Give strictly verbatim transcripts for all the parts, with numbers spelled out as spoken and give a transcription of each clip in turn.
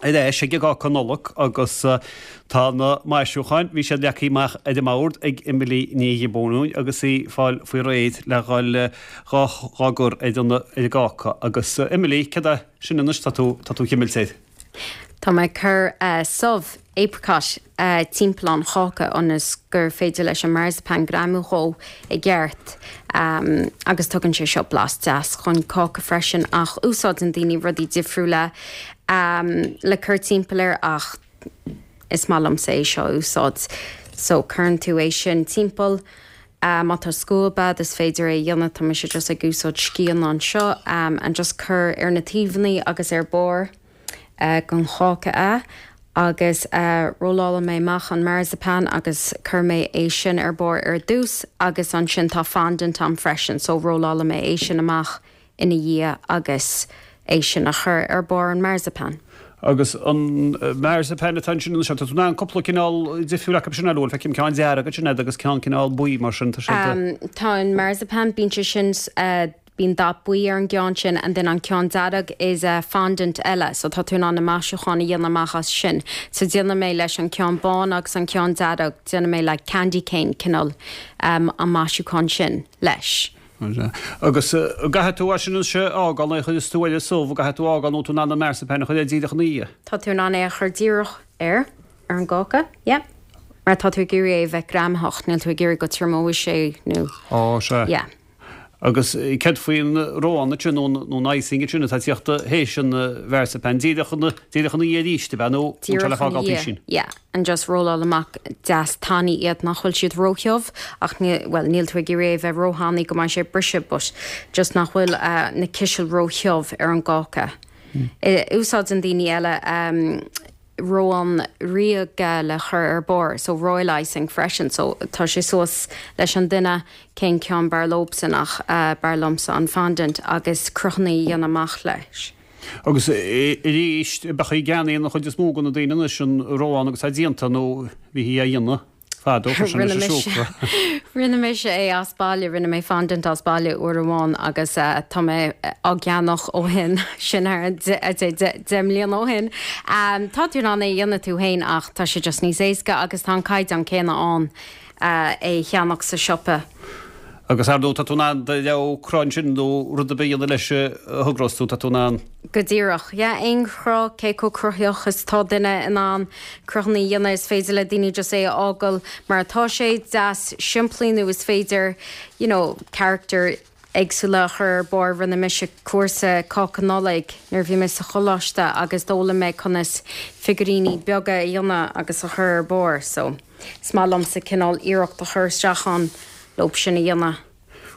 Ar ais ag an gcáca Nollag agus tá na maisiúcháin, bhí siad leagtha amach ar an mbord ag Emily Ní Ghiobúin agus í ag fáil faoi réir le dhul dhá dhá gcur ar an ar an gcáca. Agus Emily, céard é sin anois tá tú tá tú chimilt air? Tá mé ag cur subh apricot timpeall an cháca ionas gur féidir leis an marzipan greamú dhó i gceart agus tugann sé seo blas deas chun cáca freisin ach úsáideann daoine rudaí difriúla le cur timpeall air ach is maith liomsa é seo a úsáid. So cuireann tú é sin timpeall. Má tá scuab agat is féidir é a dhéanamh, tá mise just ag úsáid scian anseo and just cur ar na taobhanna agus ar barr. den cháca é agus rollálfaidh mé amach an marzipan agus cuirfidh mé é sin ar barr ar dtús agus ansin tá fondant a'm freisin so rollálfaidh mé é sin amach ina dhiaidh agus é sin a chur ar barr an marzipan. Agus an marzipan atá ansin anseo, tá tú in ann cúpla cineál difriúil acu sin a lua, feicim ceann dearg ansin agat agus ceann cineál buí mar sin, tá siad. Tá an marzipan, bíonn sé sin Bíonn dath buí ar an gceann sin and then an ceann dearg is fondant eile so tá tú in ann na maisiúcháin a dhéanamh amach as sin. So déanfaidh mé leis an ceann bán agus an ceann dearg, déanfaidh mé like candy cane cineál an maisiúchán sin leis. Agus an gcaithfidh tú é sin anois a fhágáil nuair a chuireas tú ar an subh, an gcaithfidh tú a fhágáil nó tú in ann an marzipan a chur air díreach ina dhiaidh? Tá tú in ann é a chur díreach air, ar an gcáca, yeah. Mar tá tú ag iarraidh é a bheith greamaitheach, níl tú ag iarraidh go triomóidh sé nó. Á, sea. Yeah. Agus céard faoin rón ansin nó an icing ansin atá ag tíocht théis an mharzipan? Díreach ina díreach ina dhiaidh arís, ab ea, nó an bhfuil sé le Díreach ina fágáil dhiaidh, písín? yeah. And just rolláil amach deas tanaí iad nach bhfuil siad róthiubh ach ní, bhuel níl tú ag iarraidh é bheith róthanaí go mbeidh sé ag briseadh but just nach bhfuil na cisil róthiubh ar an gcáca. Úsáideann daoine eile rón ríoga le chur ar barr, so royal icing freisin, so tá sé suas leis an duine cén ceann b'fhearr leobsan ach b'fhearr liomsa an fondant agus cruthanna a dhéanamh amach leis. Agus arís, bheadh í gceannaíonn an chuid is mó de na daoine anois an rón agus tá déanta nó bhí í á dhéanamh. Fadó, chuir sé Rinne leis an mise siúcra. Rinne mise é as baile, rinne mé fondant as baile uair amháin agus tá mé á gceannach ó shin, sin thar deich mbliana ó shin. Tá tú in ann é a dhéanamh tú féin ach tá sé just níos éasca agus tá an caighdeán céanna ann é a cheannach sa siopa. Agus ar ndóigh tá tú in ann do rogha cruth ansin nó rud ar bith a dhéanamh leis a thogrós tú, tá tú in ann. Go díreach. Yeah, aon chruth, cé chomh cruthaitheach is atá duine in ann cruthanna a dhéanamh, is féidir le daoine just é a fhágáil mar atá sé, deas simplí nó is féidir you know character éagsúla a chur ar barr. Rinne mise cúrsa cáca Nollag nuair a bhí mé sa choláiste agus d'fhoghlaim mé conas figiúiríní beaga a dhéanamh agus a chur ar barr so is maith liomsa cineál iarracht a chur isteach ann. leob sin a dhéanamh.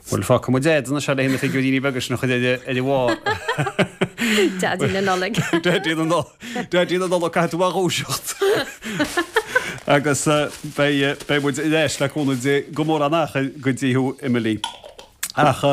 Bhuel, fágfaidh muid agat anois le na figiúiríní beaga sin a chur ar a bharr. Daidí na Nollag. Daidí na Nollag. Daidí na Nollag, caithfidh tú a dhúiseacht. Agus beidh beidh muid ar ais le cúnamh Dé gan mórán achair go dtí thú, Emily. Ach.